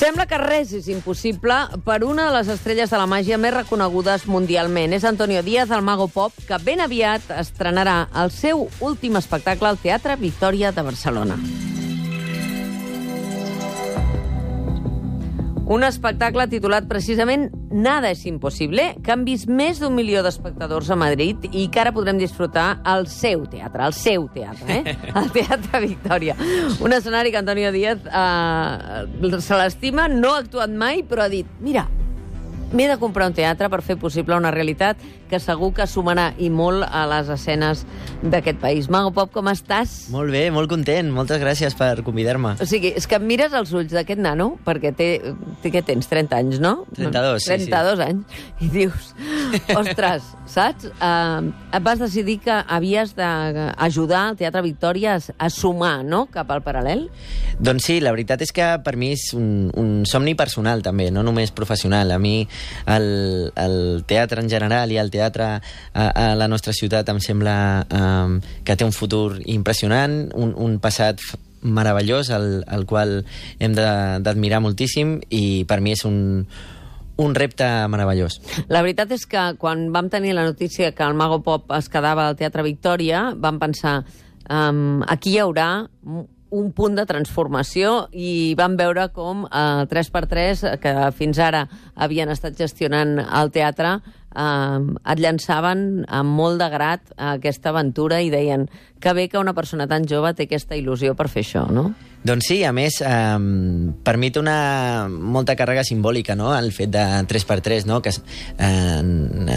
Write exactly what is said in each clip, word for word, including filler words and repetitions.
Sembla que res és impossible per una de les estrelles de la màgia més reconegudes mundialment. És Antonio Díaz, el Mago Pop, que ben aviat estrenarà el seu últim espectacle al Teatre Victòria de Barcelona. Un espectacle titulat precisament Nada és impossible, que han vist més d'un milió d'espectadors a Madrid i que ara podrem disfrutar al seu teatre, al seu teatre, eh? Al Teatre Victòria. Un escenari que Antonio Díaz eh, se l'estima, no ha actuat mai, però ha dit, mira, m'he de comprar un teatre per fer possible una realitat que segur que sumarà i molt a les escenes d'aquest país. Mago Pop, com estàs? Molt bé, molt content. Moltes gràcies per convidar-me. O sigui, és que em mires els ulls d'aquest nano, perquè té, té què tens, trenta anys, no? trenta-dos, sí, sí. trenta-dos anys. I dius, ostres, saps? Uh, et vas decidir que havies d'ajudar el Teatre Victòria a, a sumar, no?, cap al paral·lel? Doncs sí, la veritat és que per mi és un, un somni personal, també, no només professional. A mi el, el teatre en general i el teatre a, a la nostra ciutat em sembla um, que té un futur impressionant, un, un passat meravellós, el, el qual hem d'admirar moltíssim, i per mi és un, un repte meravellós. La veritat és que quan vam tenir la notícia que el Mago Pop es quedava al Teatre Victòria, vam pensar, um, aquí hi haurà un punt de transformació, i vam veure com eh, tres per tres, que fins ara havien estat gestionant el teatre, eh, et llançaven amb molt de grat a aquesta aventura i deien que bé que una persona tan jove té aquesta il·lusió per fer això, no? Doncs sí, a més, eh, per mi té una molta càrrega simbòlica, no?, el fet de tres per tres, no?, que eh,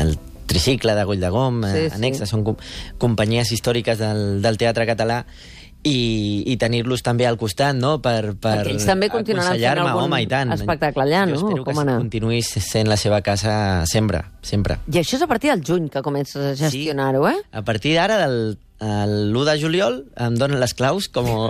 el tricicle de Goll de Gom, sí, eh, Anexa, sí. Són com, companyies històriques del, del teatre català, i, i tenir-los també al costat, no?, per, per perquè ells també continuaran fent algun home, i tant. espectacle allà, no? Jo espero com que anar? continuï sent la seva casa sempre, sempre. I això és a partir del juny que comences a gestionar-ho, eh? Sí. A partir d'ara, del l'u de juliol, em donen les claus com...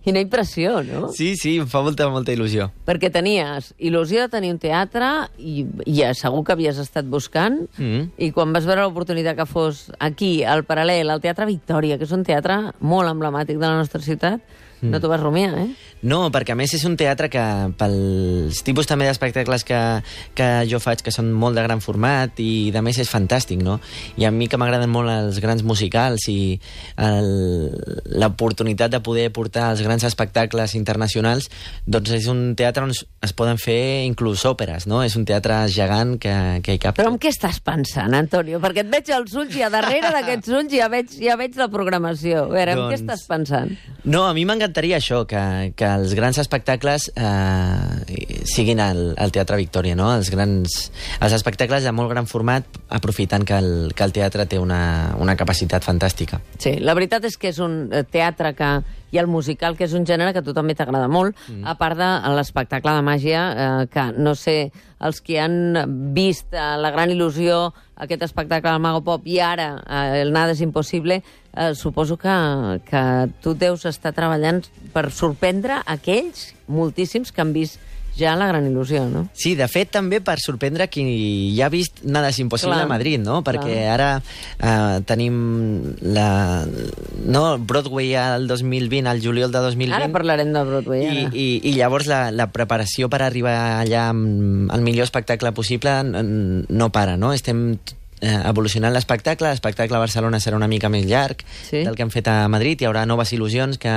Quina impressió, no? Sí, sí, em fa molta, molta il·lusió. Perquè tenies il·lusió de tenir un teatre i, i segur que havies estat buscant, mm. i quan vas veure l'oportunitat que fos aquí, al paral·lel, al Teatre Victòria, que és un teatre molt emblemàtic de la nostra ciutat, mm. no t'ho vas rumiar, eh? No, perquè a més és un teatre que, pels tipus també d'espectacles que, que jo faig, que són molt de gran format, i de més és fantàstic, no? I a mi que m'agraden molt els grans musicals i l'oportunitat de poder portar els grans espectacles internacionals, doncs és un teatre on es poden fer inclús òperes, no? És un teatre gegant que, que hi cap. Però en què estàs pensant, Antonio? Perquè et veig als ulls i a darrere d'aquests ulls ja veig, ja veig la programació. A veure, doncs, en què estàs pensant? No, a mi m'encantaria això, que, que els grans espectacles eh, siguin al, al Teatre Victòria, no? Els grans, els espectacles de molt gran format, aprofitant que el, que el teatre té una, una capacitat fantàstica. Sí, la veritat és que és un teatre que, i el musical, que és un gènere que a tu també t'agrada molt, mm. a part de l'espectacle de màgia, eh, que no sé, els que han vist eh, la gran il·lusió, aquest espectacle del Mago Pop, i ara eh, el Nada és impossible, eh, suposo que, que tu deus estar treballant per sorprendre aquells moltíssims que han vist ja la gran il·lusió, no? Sí, de fet, també per sorprendre qui ja ha vist Nada és impossible a Madrid, no? Perquè clar. ara eh, tenim la, no, Broadway al dos mil vint, al juliol de dos mil vint. Ara parlarem de Broadway, i, ara. I, i llavors la, la preparació per arribar allà amb el millor espectacle possible no para, no? Estem evolucionant l'espectacle. L'espectacle a Barcelona serà una mica més llarg, sí, del que hem fet a Madrid. Hi haurà noves il·lusions que,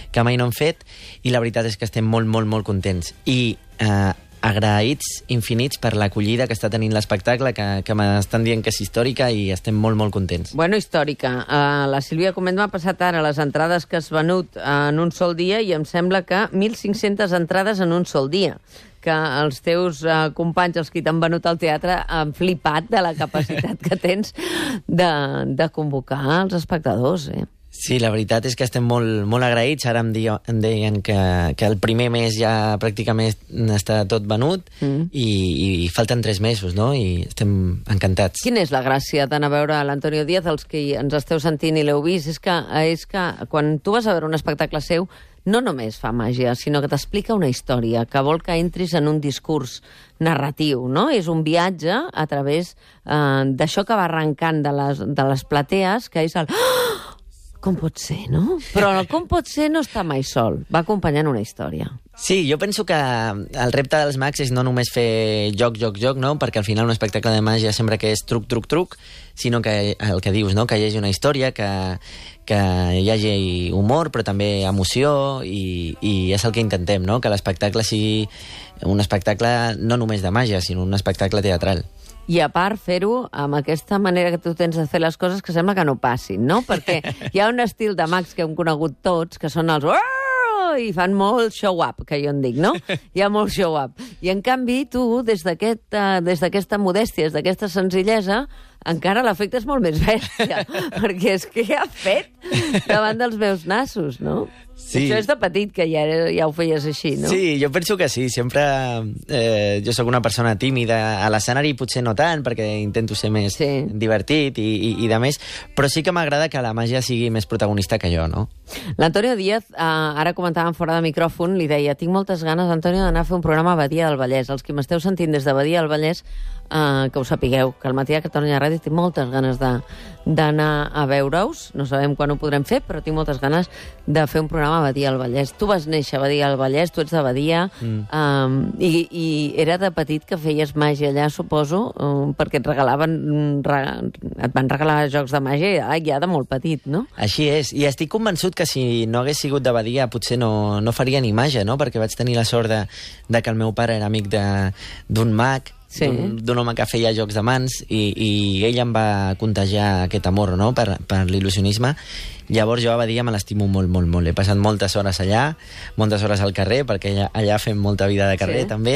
que mai no hem fet, i la veritat és que estem molt, molt, molt contents. I eh, agraïts infinits per l'acollida que està tenint l'espectacle, que, que m'estan dient que és històrica, i estem molt, molt contents. Bueno, històrica. Uh, la Sílvia Comet m'ha passat ara les entrades que has venut en un sol dia, i em sembla que mil cinc-centes entrades en un sol dia, que els teus uh, companys, els que t'han venut al teatre, han flipat de la capacitat que tens de, de convocar els espectadors, eh? Sí, la veritat és que estem molt, molt agraïts. Ara em, dia, em deien que, que el primer mes ja pràcticament està tot venut, mm. i, i falten tres mesos, no? I estem encantats. Quina és la gràcia d'anar a veure l'Antonio Díaz? Els que ens esteu sentint i l'heu vist, és que, és que quan tu vas a veure un espectacle seu, no només fa màgia, sinó que t'explica una història, que vol que entris en un discurs narratiu, no? És un viatge a través eh, d'això que va arrencant de les, de les platees, que és el... Com pot ser, no? Però el com pot ser no està mai sol, va acompanyant una història. Sí, jo penso que el repte dels mags és no només fer joc, joc, joc, no? Perquè al final un espectacle de màgia sembla que és truc, truc, truc, sinó que el que dius, no? Que hi hagi una història, que, que hi hagi humor, però també emoció, i, i és el que intentem, no? Que l'espectacle sigui un espectacle no només de màgia, sinó un espectacle teatral. I a part fer-ho amb aquesta manera que tu tens de fer les coses que sembla que no passin, no? Perquè hi ha un estil de mags que hem conegut tots, que són els... i fan molt show-up, que jo en dic, no? Hi ha molt show-up. I, en canvi, tu, des d'aquesta aquest, uh, modèstia, des d'aquesta senzillesa, encara l'efecte és molt més bèstia, perquè és que ha fet davant dels meus nassos, no? Sí. Això és de petit, que ja, ja ho feies així, no? Sí, jo penso que sí. Sempre... Eh, jo sóc una persona tímida a l'escenari, potser no tant, perquè intento ser més sí. divertit i, i, i de més, però sí que m'agrada que la màgia sigui més protagonista que jo, no? L'Antonio Díaz, eh, ara comentàvem fora de micròfon, li deia, tinc moltes ganes, Antonio, d'anar a fer un programa a Badia del Vallès. Els que m'esteu sentint des de Badia del Vallès, eh, que ho sapigueu, que al matí a Catalunya Ràdio tinc moltes ganes de d'anar a veure-us. No sabem quan ho podrem fer, però tinc moltes ganes de fer un programa a Badia del Vallès. Tu vas néixer a Badia del Vallès, tu ets de Badia, mm. um, i, i era de petit que feies màgia allà, suposo, um, perquè et regalaven, et van regalar jocs de màgia ja de molt petit, no? Així és, i estic convençut que si no hagués sigut de Badia potser no, no faria ni màgia, no? Perquè vaig tenir la sort de, de que el meu pare era amic d'un mag, sí. d'un home que feia jocs de mans, i, i ell em va contagiar aquest amor, no?, per, per l'il·lusionisme. Llavors jo a Badia me l'estimo molt, molt, molt. He passat moltes hores allà, moltes hores al carrer, perquè allà, allà fem molta vida de carrer, sí. també,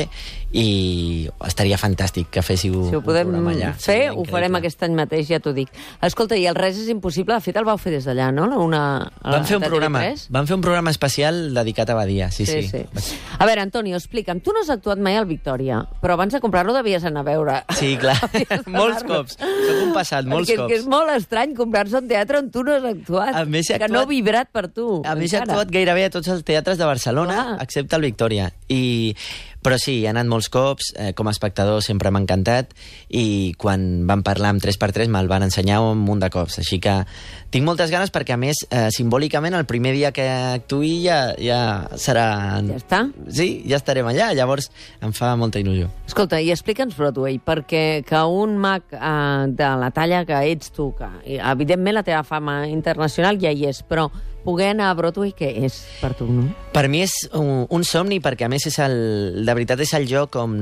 i estaria fantàstic que féssiu si ho podem un programa allà. Fer, ho farem aquest any mateix, ja t'ho dic. Escolta, i el Res és impossible, de fet el vau fer des d'allà, no? Una, vam, fer un programa, vam fer un programa especial dedicat a Badia, sí, sí. sí. sí. A veure, Antonio, explica'm, tu no has actuat mai al Victòria, però abans de comprar-lo devies anar a veure. Sí, clar, molts cops. Soc un passat, molts Perquè cops. és molt estrany comprar-se un teatre on tu no has actuat. A més, que actuat, no ha vibrat per tu. A més, he actuat gairebé a tots els teatres de Barcelona, ah. excepte el Victòria. I... Però sí, he anat molts cops, eh, com a espectador sempre m'ha encantat, i quan vam parlar amb tres per tres me'l van ensenyar un munt de cops. Així que tinc moltes ganes perquè, a més, eh, simbòlicament, el primer dia que actuï ja, ja serà... Ja està? Sí, ja estarem allà, llavors em fa molta il·lusió. Escolta, i explica'ns Broadway, perquè que un mag eh, de la talla que ets tu, que evidentment la teva fama internacional ja hi és, però poder anar a Broadway, què és per tu, no? Per mi és un, un somni, perquè a més és el, de veritat és el joc on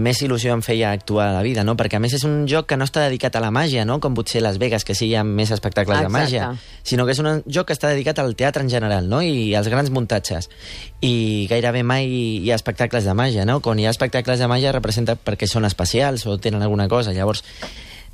més il·lusió em feia actuar a la vida, no? Perquè a més és un joc que no està dedicat a la màgia, no? Com potser Las Vegas, que sí hi ha més espectacles Exacte. de màgia, sinó que és un joc que està dedicat al teatre en general, no? I als grans muntatges. I gairebé mai hi ha espectacles de màgia, no? Quan hi ha espectacles de màgia representa perquè són especials o tenen alguna cosa. Llavors,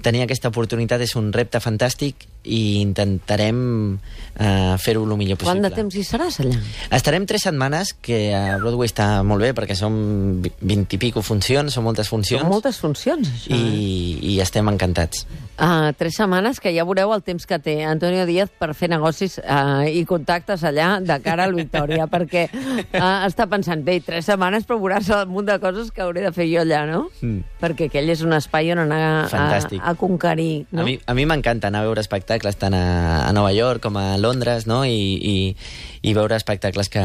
tenir aquesta oportunitat és un repte fantàstic i intentarem uh, fer-ho el millor possible. Quant de temps hi seràs allà? Estarem tres setmanes, que a Broadway està molt bé, perquè són vint i pico funcions, són moltes funcions. Són moltes funcions, això. I, eh? i estem encantats. Uh, tres setmanes, que ja veureu el temps que té Antonio Díaz per fer negocis uh, i contactes allà de cara al Victòria, perquè uh, està pensant, bé, tres setmanes per veuràs un munt de coses que hauré de fer jo allà, no? Mm. Perquè aquell és un espai on anar a, a conquerir, no? A mi, a mi m'encanta anar a veure espectacles tant a, a Nova York com a Londres, no? I, i, i veure espectacles que,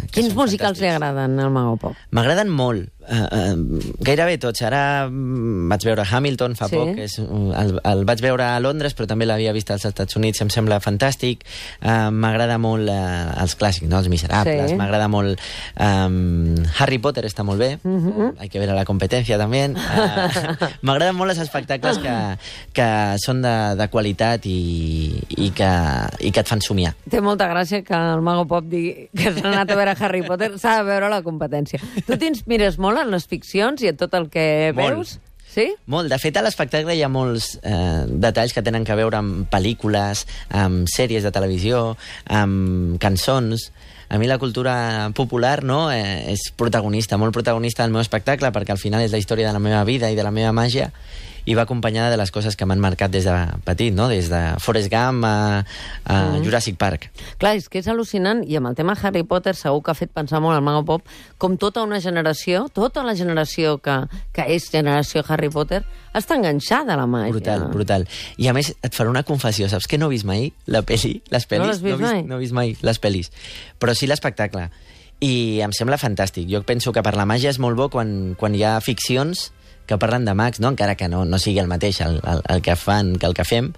que Quins musicals li agraden al Mago Pop? M'agraden molt. Uh, uh, gairebé tots. Ara um, vaig veure Hamilton fa sí? poc, és, uh, el, el vaig veure a Londres, però també l'havia vist als Estats Units, em sembla fantàstic. Uh, m'agrada molt uh, els clàssics, no? Els Miserables, sí. m'agrada molt um, Harry Potter està molt bé, uh -huh. hay que ver a la competència també. Uh, m'agraden molt els espectacles que, que són de, de qualitat i, i, que, i que et fan somiar. Té molta gràcia que el Mago Pop digui que s'ha anat a veure Harry Potter, s'ha de veure la competència. Tu t'inspires molt en les ficcions i en tot el que molt. veus? Sí? Molt. De fet, a l'espectacle hi ha molts eh, detalls que tenen que veure amb pel·lícules, amb sèries de televisió, amb cançons, a mi la cultura popular, no?, eh, és protagonista, molt protagonista del meu espectacle, perquè al final és la història de la meva vida i de la meva màgia, i va acompanyada de les coses que m'han marcat des de petit, no?, des de Forrest Gump a, a mm. Jurassic Park. Clar, és que és al·lucinant, i amb el tema Harry Potter segur que ha fet pensar molt al Mago Pop, com tota una generació, tota la generació que, que és generació Harry Potter, està enganxada a la màgia. Brutal, brutal. I a més, et faré una confessió, saps que no he vist mai la peli, les pel·lis? No l'has vist no mai? No he vist mai les pel·lis, però sí l'espectacle. I em sembla fantàstic. Jo penso que per la màgia és molt bo quan, quan hi ha ficcions que parlen de mags, no? Encara que no, no sigui el mateix el, el, el que fan que el que fem,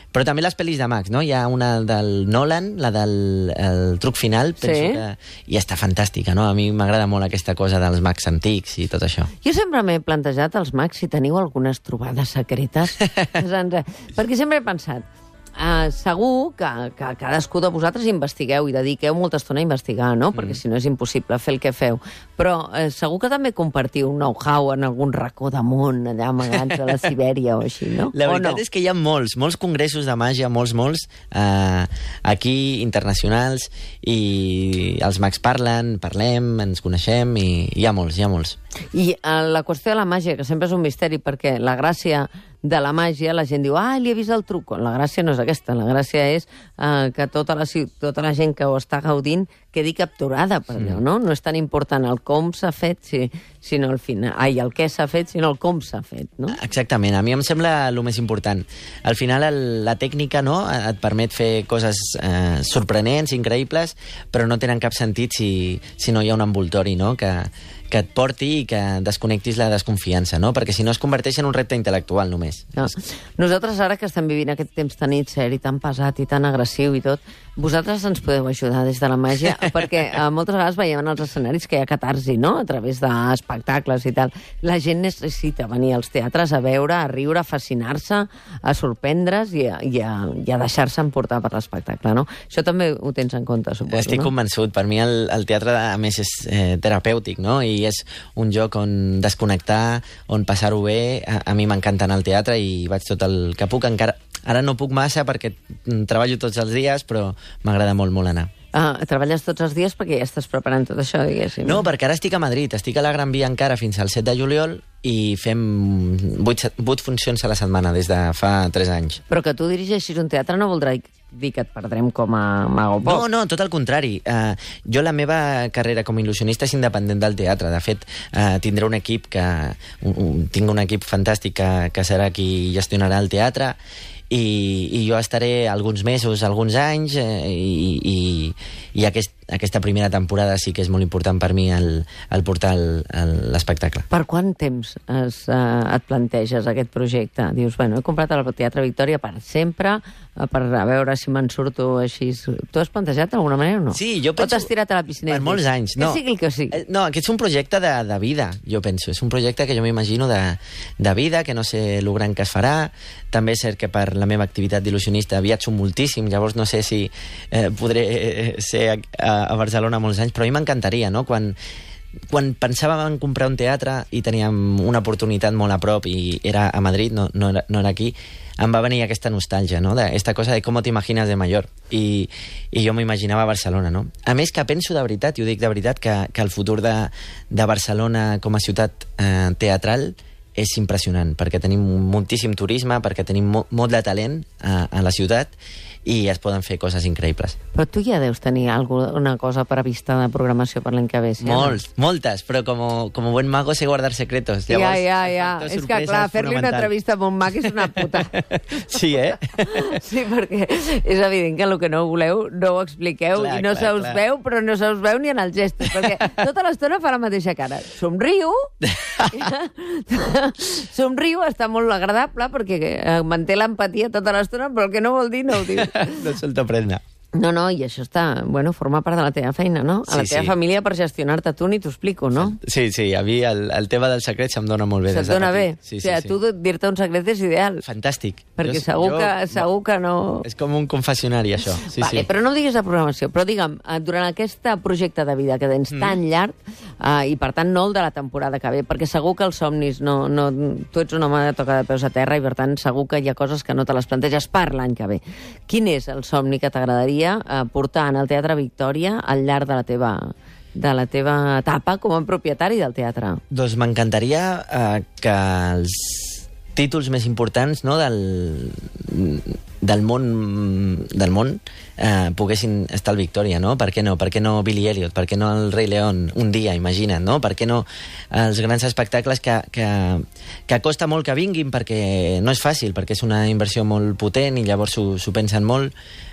però també les pel·lis de mags, no? Hi ha una del Nolan, la del el truc final, penso sí. que... I està fantàstica, no? A mi m'agrada molt aquesta cosa dels mags antics i tot això. Jo sempre m'he plantejat als mags si teniu algunes trobades secretes. Perquè sempre he pensat, Uh, segur que, que cadascú de vosaltres investigueu i dediqueu molta estona a investigar, no? Perquè mm. si no és impossible fer el que feu. Però uh, segur que també compartiu un know-how en algun racó de món, allà amagats a la Sibèria o així, no? La veritat no? és que hi ha molts, molts congressos de màgia, molts, molts, uh, aquí, internacionals, i els mags parlen, parlem, ens coneixem, i hi ha molts, hi ha molts. I uh, la qüestió de la màgia, que sempre és un misteri, perquè la gràcia de la màgia, la gent diu, ah, li he vist el truc. La gràcia no és aquesta, la gràcia és eh, que tota la, tota la gent que ho està gaudint quedi capturada per allò, no? No és tan important el com s'ha fet, si, sinó el final. Ai, el què s'ha fet, sinó el com s'ha fet, no? Exactament, a mi em sembla el més important. Al final, el, la tècnica, no?, et permet fer coses eh, sorprenents, increïbles, però no tenen cap sentit si, si no hi ha un envoltori, no?, que, que et porti i que desconnectis la desconfiança, no? Perquè si no es converteix en un repte intel·lectual, només. No. Nosaltres, ara que estem vivint aquest temps tan seri, tan pesat i tan agressiu i tot, vosaltres ens podeu ajudar des de la màgia, perquè eh, moltes vegades veiem en els escenaris que hi ha catarsi, no?, a través d'espectacles i tal. La gent necessita venir als teatres a veure, a riure, a fascinar-se, a sorprendre's i a, i a, i a deixar-se emportar per l'espectacle, no? Això també ho tens en compte, suposo, Estic no? convençut. Per mi el, el teatre, a més, és eh, terapèutic, no?, i és un lloc on desconnectar, on passar-ho bé. A, a mi m'encanta anar al teatre i vaig tot el que puc. Encara, ara no puc massa perquè treballo tots els dies, però m'agrada molt, molt anar. Ah, treballes tots els dies perquè ja estàs preparant tot això, diguéssim. No, perquè ara estic a Madrid, estic a la Gran Via encara fins al set de juliol i fem vuit, vuit funcions a la setmana des de fa tres anys. Però que tu dirigeixis un teatre no voldrà dir que et perdrem com a Mago Pop. No, no, tot el contrari. Uh, jo la meva carrera com a il·lusionista és independent del teatre. De fet, uh, tindré un equip que... Un, un, tinc un equip fantàstic que, que serà qui gestionarà el teatre i, i jo estaré alguns mesos, alguns anys eh, i, i, i aquest, aquesta primera temporada sí que és molt important per mi el, el portar l'espectacle. Per quant temps es, uh, et planteges aquest projecte? Dius, bueno, he comprat el Teatre Victòria per sempre, uh, per a veure si me'n surto així. Tu has plantejat d'alguna manera o no? Sí, jo penso... O t'has tirat a la piscina? Per molts anys, no. Que sigui el que sigui. No, aquest és un projecte de, de vida, jo penso. És un projecte que jo m'imagino de, de vida, que no sé el gran que es farà. També és cert que per la meva activitat d'il·lusionista viatjo moltíssim, llavors no sé si eh, podré ser a, a Barcelona molts anys, però a mi m'encantaria, no? Quan, quan pensàvem en comprar un teatre i teníem una oportunitat molt a prop i era a Madrid, no, no, era, no era aquí, em va venir aquesta nostàlgia, no?, d'aquesta cosa de com t'imagines de mayor. I, i jo m'imaginava Barcelona, no? A més que penso de veritat, i ho dic de veritat, que, que el futur de, de Barcelona com a ciutat eh, teatral és impressionant, perquè tenim moltíssim turisme, perquè tenim mo molt de talent a, a la ciutat i es poden fer coses increïbles. Però tu ja deus tenir alguna cosa prevista de programació per l'any que ve, sí? Molts, no? Moltes, però com, com a buen mago sé guardar secretos. Llavors, ja, ja, ja. És que, clar, fer-li una entrevista a un mag és una puta. Sí, eh? Sí, perquè és evident que el que no voleu no ho expliqueu clar, i no se us clar. veu, però no se us veu ni en els gestos, perquè tota l'estona fa la mateixa cara. Somriu, somriu, està molt agradable, perquè manté l'empatia tota l'estona, però el que no vol dir no ho diu. No se'l t'aprenda. No, no, i això està... Bueno, forma part de la teva feina, no? A la sí, teva sí. família per gestionar-te tu ni t'ho explico, no? Sí, sí, a mi el, el tema dels secrets se'm dona molt bé. Se't dona bé? Sí, o sigui, sí, tu sí. dir-te un secret és ideal. Fantàstic. Perquè jo, segur, jo, que, segur que no... És com un confessionari, això. Sí, vale, sí. Però no em diguis de programació, però digue'm, durant aquest projecte de vida que tens mm. tan llarg, eh, i per tant no el de la temporada que ve, perquè segur que els somnis, no, no, tu ets un home de tocar de peus a terra i per tant segur que hi ha coses que no te les planteges per l'any que ve. Quin és el somni que t'agradaria t'agradaria eh, portar en el Teatre Victòria al llarg de la teva de la teva etapa com a propietari del teatre? Doncs m'encantaria eh, que els títols més importants, no, del, del món, del món eh, poguessin estar al Victòria, no? Per què no? Per què no Billy Elliot? Per què no el Rei León? Un dia, imagina't, no? Per què no els grans espectacles que, que, que costa molt que vinguin, perquè no és fàcil, perquè és una inversió molt potent i llavors s'ho pensen molt,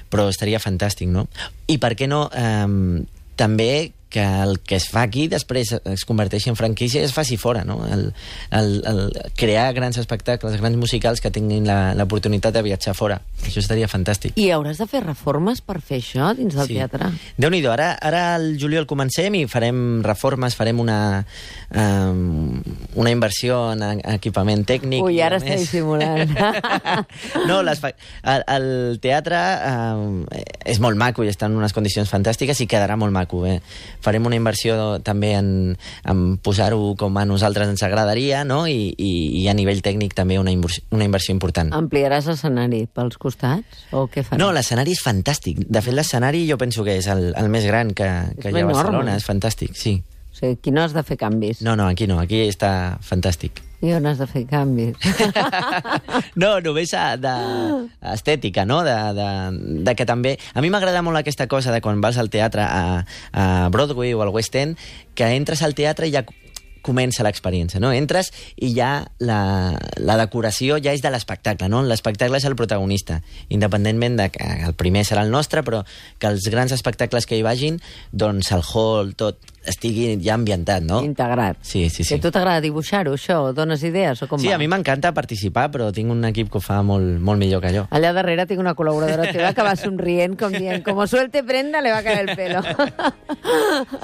però estaria fantàstic, no? I per què no eh, també que el que es fa aquí després es converteixi en franquícia i es faci fora, no? El, el, el crear grans espectacles, grans musicals que tinguin l'oportunitat de viatjar fora. Això estaria fantàstic. I hauràs de fer reformes per fer això dins del sí. teatre? Déu-n'hi-do, ara, ara al juliol comencem i farem reformes, farem una, um, una inversió en equipament tècnic. Ui, ara està dissimulant. No, les, el, el teatre um, és molt maco i està en unes condicions fantàstiques i quedarà molt maco, eh? Farem una inversió també en, en posar-ho com a nosaltres ens agradaria, no? I, i, i a nivell tècnic també una inversió, una inversió important. Ampliaràs l'escenari pels costats? O què faràs? No, l'escenari és fantàstic. De fet, l'escenari jo penso que és el, el més gran que, que hi ha a Barcelona. És fantàstic, sí. O sigui, aquí no has de fer canvis. No, no, aquí no. Aquí està fantàstic. I on has de fer canvis? No, només d'estètica, no? De, de, de que també... A mi m'agrada molt aquesta cosa de quan vas al teatre a, a Broadway o al West End, que entres al teatre i ja comença l'experiència, no? Entres i ja la, la decoració ja és de l'espectacle, no? L'espectacle és el protagonista, independentment de que el primer serà el nostre, però que els grans espectacles que hi vagin, doncs el hall, tot, estigui ja ambientat, no? Integrat. Sí, sí, sí. I a tu t'agrada dibuixar-ho, això? Dones idees o com sí, va? A mi m'encanta participar, però tinc un equip que ho fa molt, molt millor que jo. Allà darrere tinc una col·laboradora teva que va somrient, com dient, como suelte prenda, le va caer el pelo.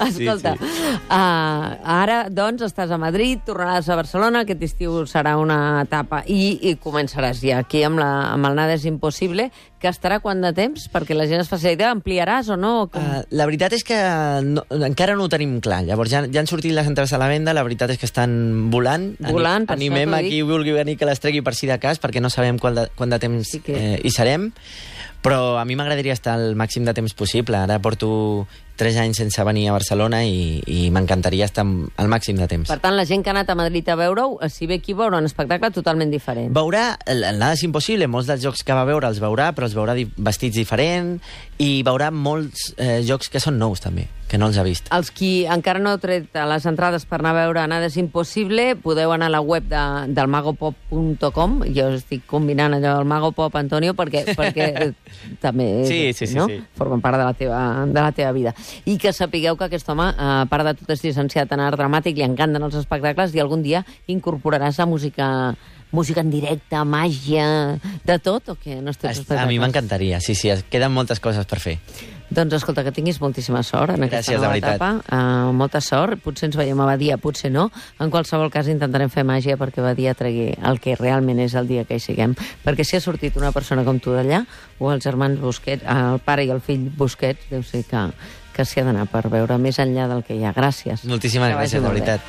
Escolta, sí, sí. Uh, ara, doncs, estàs a Madrid, tornaràs a Barcelona, aquest estiu serà una etapa, i, i començaràs ja aquí amb, la, amb el Nada és impossible, que estarà quant de temps? Perquè la gent es faci la idea, ampliaràs o no? Com... Uh, la veritat és que no, encara no ho tenim clar. Llavors ja, ja han sortit les entrades a la venda, la veritat és que estan volant. Volant, per Animem a qui vulgui venir que les tregui per si de cas, perquè no sabem quant de, quant de temps sí que... eh, hi serem. Però a mi m'agradaria estar el màxim de temps possible. Ara porto tres anys sense venir a Barcelona i, i m'encantaria estar al màxim de temps. Per tant, la gent que ha anat a Madrid a veure-ho, si ve aquí veurà un espectacle totalment diferent. Veurà, el, el Nada és impossible, molts dels jocs que va veure els veurà, però els veurà di vestits diferent, i veurà molts eh, jocs que són nous també, que no els ha vist. Els qui encara no heu tret les entrades per anar a veure Nada és impossible, podeu anar a la web de, del magopop punt com. Jo estic combinant allò del Magopop, Antonio, perquè, perquè també sí, sí, sí, no? sí. formen part de la, teva, de la teva vida. I que sapigueu que aquest home, a part de tot, és llicenciat en art dramàtic, li encanten els espectacles i algun dia incorporaràs a música... música en directe, màgia, de tot, o què? No estàs a mi m'encantaria, sí, sí, queden moltes coses per fer. Doncs escolta, que tinguis moltíssima sort en aquesta Gràcies, nova etapa. Uh, molta sort, potser ens veiem a Badia, potser no. En qualsevol cas intentarem fer màgia perquè Badia tregui el que realment és el dia que hi siguem. Perquè si ha sortit una persona com tu d'allà, o els germans Busquets, el pare i el fill Busquets, deu ser que, que s'hi ha d'anar per veure més enllà del que hi ha. Gràcies. Moltíssimes gràcies, de veritat.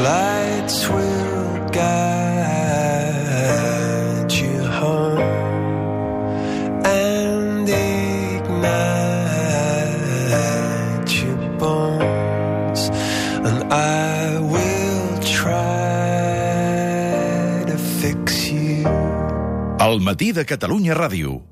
Lights will guide you home and ignite your bones, and I will try to fix you. Al matí de Catalunya Ràdio.